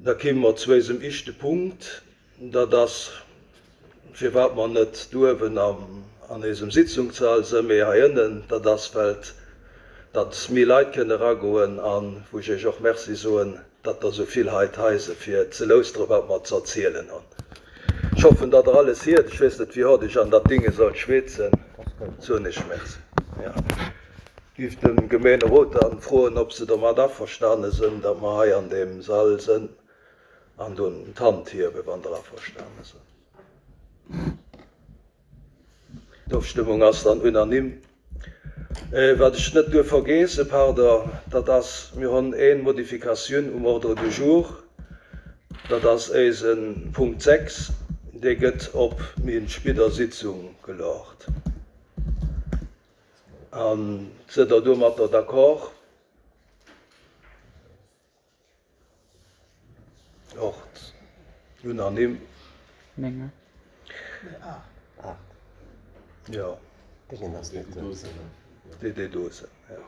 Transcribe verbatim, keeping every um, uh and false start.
Da kime mer zu eisem ischte Punkt, dat ass, firwat mer net duewen am, an eisem Sitzungssall sënn, mee hei ënnen, dat ass, well datt méi Leit kënne ragoen an wou ech iech och Merci soen, datt der sou vill hei hei sidd fir ze lauschteren, wat mer ze erzielen hunn. Ech hoffen, datt der alles hiert. Ech weess net, wéi haart ech an dat Dinge soll schwätzen. Soen ech Merci. Ja. Giff dem Gemeenerot dann froen, ob se domat averstane sënn, datt mer hei an deem Sall sënn an dunn d'Hand hiewen, wann der averstane sënn. D'Ofstëmmung ass dann unanime. Wat ech net duerf vergeesse, pardon, dat ass, mir hunn eng Modifikatioun um Ordre du jour, dat ass eise Punkt sechs, dee gëtt op méi spéider Sitzung geluecht. An sidd der domatter d'accord? Och unanime. Néng. Ja. Déngen ass net do. Déi, déi do sinn, ja.